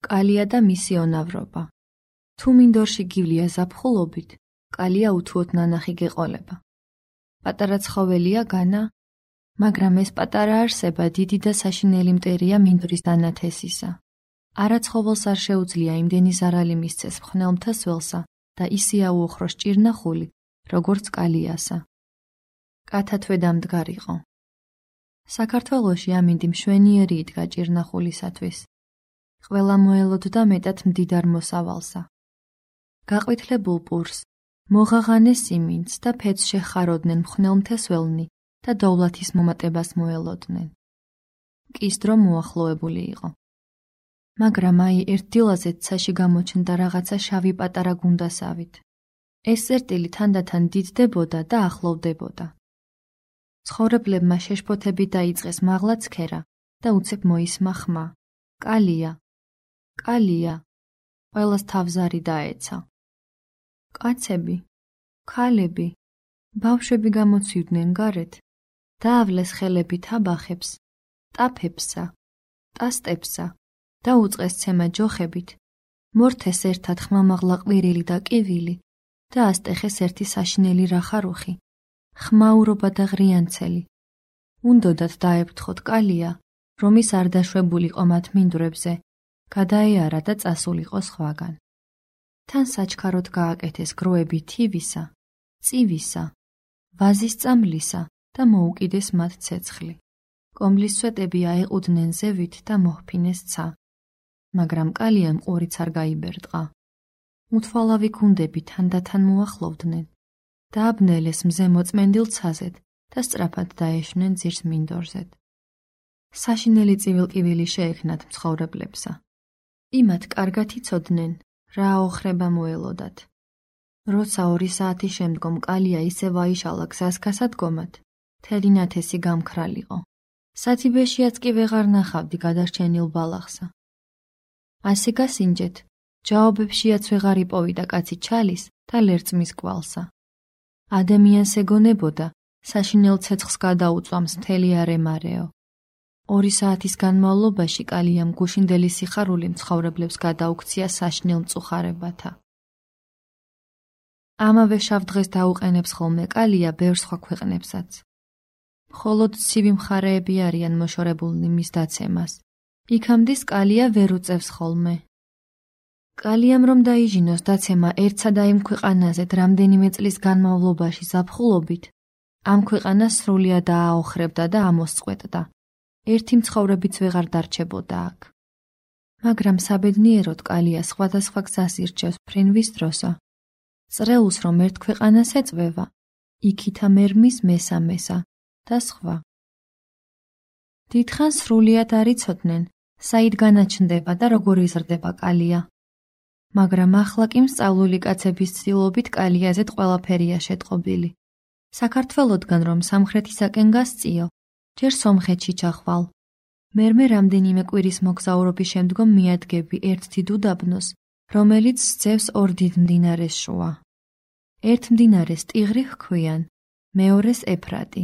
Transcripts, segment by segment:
კალია და მისი უნავრობა. თუ მინდორში გივლია ზაფხულობით, კალია უთუოდ ნანახი გეყოლება. პატარა ცხოველია განა, მაგრამ ეს პატარა არსება დიდი და საშინელი მტერია მინდორის დანათესისა. არა ცხოველს არ შეუძლია იმდენი ზარალი მისცეს მხნელმთა სველსა და ისე აუოხროს ჭირნახული, როგორც კალიასა. კათა თვედა მდგარიყო. საქართველოში ამინდი მშვენიერი იდგა ჭირნახულისათვის. ყველა მოელოდდა მეტად მდიდარ მოსავალსა. გაყვითლებულ პურს, მოღაღანეს სიმინდს და ფეთს შეხაროდნენ მხნელმთესველნი და დოვლათის მომატებას მოელოდნენ. კისდრო მოახლოებული იყო. მაგრამ აი ერთ დილაზე ცაში გამოჩნდა რაღაცა შავი პატარა გუნდასავით. ეს წერტილი თანდათან დიდდებოდა და ახლოვდებოდა. ცხოვრებლებმა შეშფოთებით დაიწყეს მაღლა ცქერა და უცებ მოისმა ხმა. კალია, კალია, ყველას თავზარი დაეცა. კაცები, ქალები, ბავშვები გამოცივდნენ გარეთ, დაავლეს ხელები თაბახებს, ტაფებსა, ტასტებსა და უწყეს ცემა ჯოხებით, მორთეს ერთად ხმამაღლა ყვირილი და კივილი და ასტეხეს ერთი საშინელი რახარუხი, ხმაურობა და ღრიანცელი. უნდოდათ დაეფრთხოთ კალია, რომ ის არ დაშვებულიყო მათ მინდვრებზე, გადაეარა და წასულიყო სხვაგან. თან საჩქაროდ გააკეთეს გროები თივისა, წივისა, ვაზის წამლისა და მოუკიდეს მათ ცეცხლი. კომბლის სვეტები აეყუდნენ ზევით და მოჰფინეს ცა. მაგრამ კალიამ ყურიც არ გაიბერტყა. უთვალავი გუნდები თანდათან მოახლოვდნენ. დააბნელეს მზე მოწმენდილ ცაზედ და სწრაფად დაეშნენ ძირს მინდორზედ. საშინელი წივილკივილი შეექნათ მცხოვრებლებსა. იმათ კარგად იცოდნენ, რა აოხრება მოელოდათ. როცა 2 საათის შემდგომ კალია ისევ აიშალა გზას გასადგომად, მთელი ნათესი გამქრალიყო. სათიბეშიაც კი ვეღარ ნახავდი გადარჩენილ ბალახსა. ასე გასინჯეთ, ჯაობებშიაც ვეღარ იპოვიდა კაცი ჩალის და ლერწმის კვალსა. ადამიანს ეგონებოდა, საშინელ ცეცხლს გადაუწვამს მთელი არემარეო. 2 საათის განმავლობაში კალიამ გუშინდელი სიხარული მცხოვრებლებს გადაუქცია საშინელ მწუხარებათა. ამავე შავ დღეს დაუყენებს ხოლმე კალია ბევრ სხვა ქვეყნებსაც. მხოლოდ ცივი მხარეები არიან მოშორებულნი მის დაცემას. იქამდე კალია ვერ უწევს ხოლმე. კალიამ რომ დაიჟინოს დაცემა ერთსა და იმ ქვეყანაზე რამდენიმე წლის განმავლობაში ზაფხულობით, ამ ქვეყანას სრულიად დააოხრებდა და ამოსწყვეტდა. ერთი მცხოვრებიც ვეღარ დარჩებოდა აქ. მაგრამ საბედნიეროდ კალია სხვადასხვა გზას ირჩევს ფრინვის დროსა. წრეულს რომ ერთ ქვეყანას ეწვევა, იქითა მერმის მესამესა და სხვა. დიდხანს სრულიად არ იცოდნენ, საით განაჩნდება და როგორ იზრდება კალია. მაგრამ ახლა კი მსწავლული კაცების ცდილობით კალიაზედ ყველაფერია შეტყობილი. საქართველოდგან რომ სამხრეთისაკენ გასწიო, ჯერ სომხეთში ჩახვალ. მერმე რამდენიმე კვირის მოგზაურობის შემდგომ მიადგები ერთ დიდ უდაბნოს, რომელიც სძევს 2 დიდ მდინარეს შუა. ერთ მდინარეს ტიღრი ჰქვიან, მეორეს ეფრატი.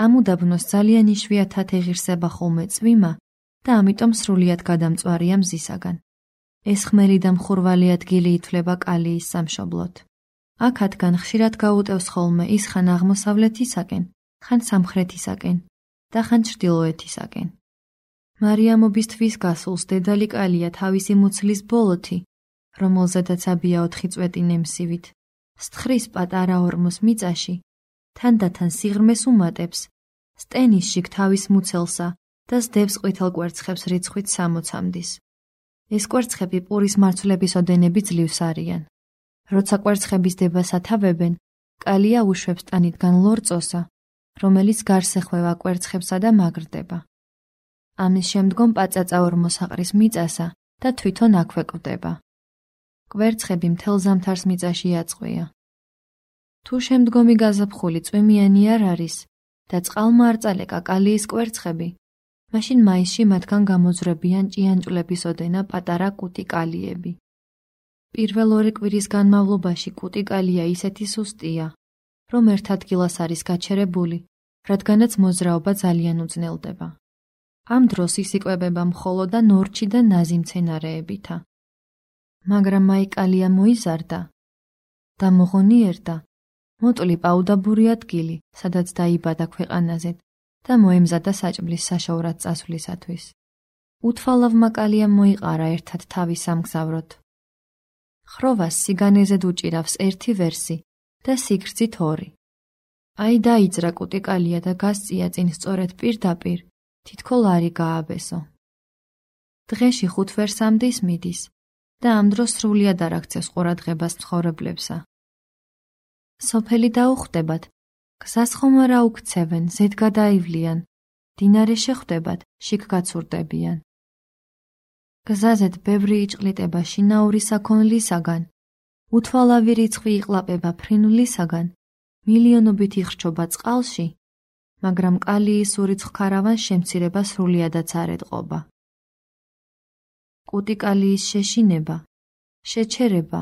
ამ უდაბნოს ძალიან იშვიათად ეღირსება ხოლმე წვიმა და ამიტომ სრულიად გადამწვარია მზისაგან. ეს ხმელი და მხურვალი ადგილი ითვლება კალიის სამშობლოდ. აქადგან ხშირად გაუტევს ხოლმე ის ხან აღმოსავლეთისაკენ, ხან სამხრეთისაკენ და ხან ჩრდილოეთისაკენ. მარიამობის თვის გასულს დედალი კალია თავისი მუცლის ბოლოთი, რომელზედაც აბია 4 წვეტი ნემსივით, სთხრის პატარა ორმოს მიწაში, თანდათან სიღრმეს უმატებს, სტენის შიგ თავის მუცელსა და სდევს ყვითელ კვერცხებს რიცხვით 60-მდის. ეს კვერცხები პურის მარცვლების ოდენები ძლივს არიან. როცა კვერცხების დებას ათავებენ, კალია უშვებს ტანიდან ლორწოსა, რომელიც გარს ეხვევა კვერცხებსა და მაგრდება. ამის შემდგომ პაწაწა ორმოს აყრის მიწასა და თვითონ აქვე კვდება. კვერცხები მთელ ზამთარს მიწაში აწყვია. თუ შემდგომი გაზაფხული წვიმიანი არ არის და წყალმა არ წალეკა კალიის კვერცხები, მაშინ მაისში მათგან გამოძვრებიან ჭიანჭვლების ოდენა პატარა კუტი კალიები. პირველ 2 კვირის განმავლობაში კუტი კალია ისეთი სუსტია, რომ ერთ ადგილას არის გაჩერებული, რადგანაც მოძრაობა ძალიან უძნელდება. ამ დროს ის იკვებება მხოლოდ და ნორჩი და ნაზი მცენარეებითა. მაგრამ აი კალია მოიზარდა და მოღონიერდა, მოტლი პაუდაბური ადგილი, სადაც დაიბადა ქვეყანაზე და მოემზადა საჭმლის საშოვრად წასვლისათვის. უთვალავმა კალიამ მოიყარა ერთად თავი სამგზავროდ. ხროვას სიგანეზედ უჭირავს ერთი ვერსი და სიგრძით ორი. აი დაიძრა კუტი კალია და გასწია წინ სწორედ პირდაპირ, თითქო ლარი გააბესო. დღეში 5 ვერსამდის მიდის და ამ დროს სრულიად არ აქცევს ყურადღებას მცხოვრებლებსა. სოფელი დაუხვდებათ, გზას ხომ არა უქცევენ, ზედ გადაივლიან, დინარე შეხვდებათ, შიგ გაცურდებიან. გზაზედ ბევრი იჭყლიტება შინაური საქონლისაგან, უთვალავი რიცხვი იყლაპება ფრინვლისაგან, მილიონობით იხრჩობა წყალში, მაგრამ კალიის ურიცხ ქარავანს შემცირება სრულიადაც არ ეტყობა. კუტი კალიის შეშინება, შეჩერება,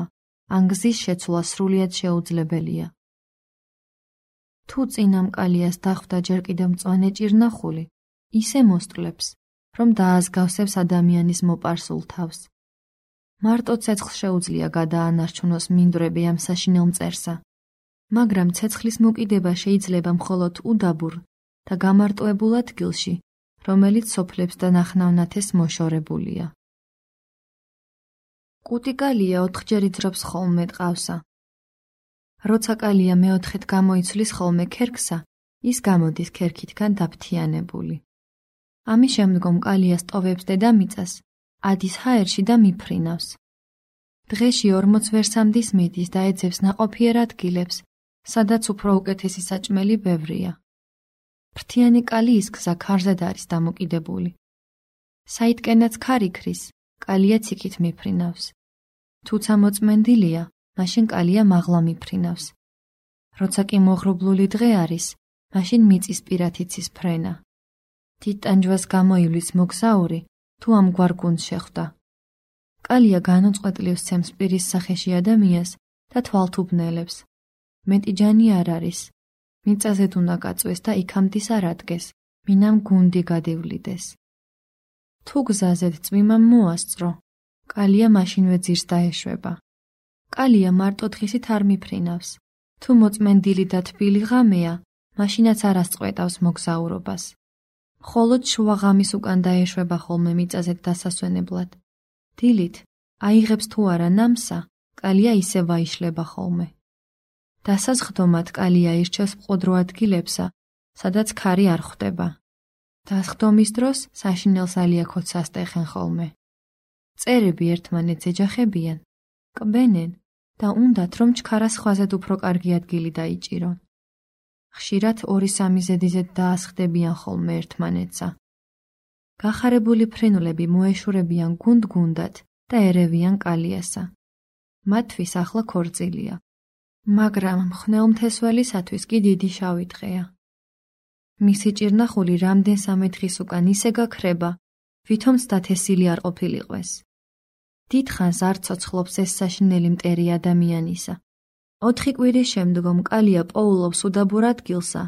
ან გზის შეცვლა სრულიად შეუძლებელია. თუ წინამ კალიას დახვდა ჯერ კიდევ მწვანე ჭირნახული, ისე მოსტლებს, რომ დააზგავსებს ადამიანის მოპარსულ თავს. მარტო ცეცხლს შეუძლია გადაანარჩუნოს მინდვრები ამ საშინელ მწერსა, მაგრამ ცეცხლის მოკიდება შეიძლება მხოლოდ უდაბურ და გამარტოებულ ადგილში, რომელიც სოფლებს და ნახნავნათეს მოშორებულია. კუტი კალია 4ჯერ იძრობს ხოლმე ტყავსა. როცა კალია მეოთხედ გამოიცვლის ხოლმე ქერქსა, ის გამოდის ქერქითგან დაფთიანებული. ამის შემდგომ კალია სტოვებს დედამიწას, ადის ჰაერში და მიფრინავს. დღეში 40 ვერსამდის მიდის და ეძებს ნაყოფიერ ადგილებს, სადაც უფრო უკეთესი საჭმელი ბევრია. ფრთიანი კალიის გზა ქარზედ არის დამოკიდებული. საიდკენაც ქარი ქრის, კალია ციქით მიფრინავს. თუცა მოწმენდილია, მაშინ კალია მაღლა მიფრინავს. როცა კი მოღრუბლული დღე არის, მაშინ მიწის პირათ იცის ფრენა. თიტანჯვას გამოივლის მოგზაური, თუ ამგვარ გუნდს შეხვდა. კალია განუწყვეტლივს ცემს პირის სახეში ადამიანს და თვალთუბნელებს. მეტი ჯანი არ არის. მიწაზედ უნდა გაწვეს და იქამდის არ ადგეს, მინამ გუნდი გადივლიდეს. თუ გზაზედ წვიმამ მოასწრო, კალია მაშინვე ძირს დაეშვება. კალია მარტო თხისით არ მიფრინავს. თუ მოწმენდილი და თბილი ღამეა, მაშინაც არ ასწყვეტავს მოგზაურობას. მხოლოდ შუა ღამის უკან დაეშვება ხოლმე მიწაზედ დასასვენებლად. დილით, აიღებს თუ არა ნამსა, კალია ისე ვაიშლება ხოლმე. დასაზღდომად კალია ირჩევს მყუდრო ადგილებსა, სადაც ქარი არ ხვდება. დასხდომის დროს საშინელს ალიაქოც ასტეხენ ხოლმე. წერები ერთმანეთს ეჯახებიან, კბენენ და უნდათ რომ ჩქარას ხვაზედ უფრო კარგი ადგილი დაიჭირონ. ხშირად 2-3 ზედიზედ დაასხდებიან ხოლმე ერთმანეთსა. გახარებული ფრენვლები მოეშურებიან გუნდ-გუნდად და ერევიან კალიასა. მათთვის ახლა ქორწილია. მაგრამ მხნელმთესველისათვის კი დიდი შავი დღეა. მისი ჭირნახული რამდენ-სამე დღის უკან ისე გაქრება, ვითომც დათესილი არ ყოფილიყვეს. დიდხანს არ ცოცხლობს ეს საშინელი მტერი ადამიანისა. 4 კვირის შემდგომ კალია პოულობს უდაბურ ადგილსა,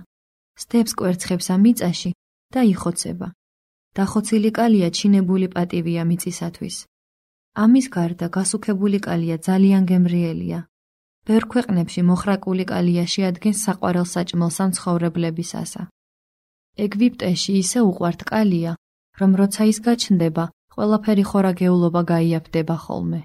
სდებს კვერცხებსა მიწაში და იხოცება. დახოცილი კალია ჩინებული პატივია მიწისათვის. ამის გარდა გასუქებული კალია ძალიან გემრიელია. ბევრ ქვეყნებში მოხრაკული კალია შეადგენს საყვარელ საჭმელს ამ ცხოვრებლებისასა. ეგვიპტეში ისე უყვართ კალია, რომ როცა ის გაჩნდება, ყველაფერი ხორაგეულობა გაიაფდება ხოლმე.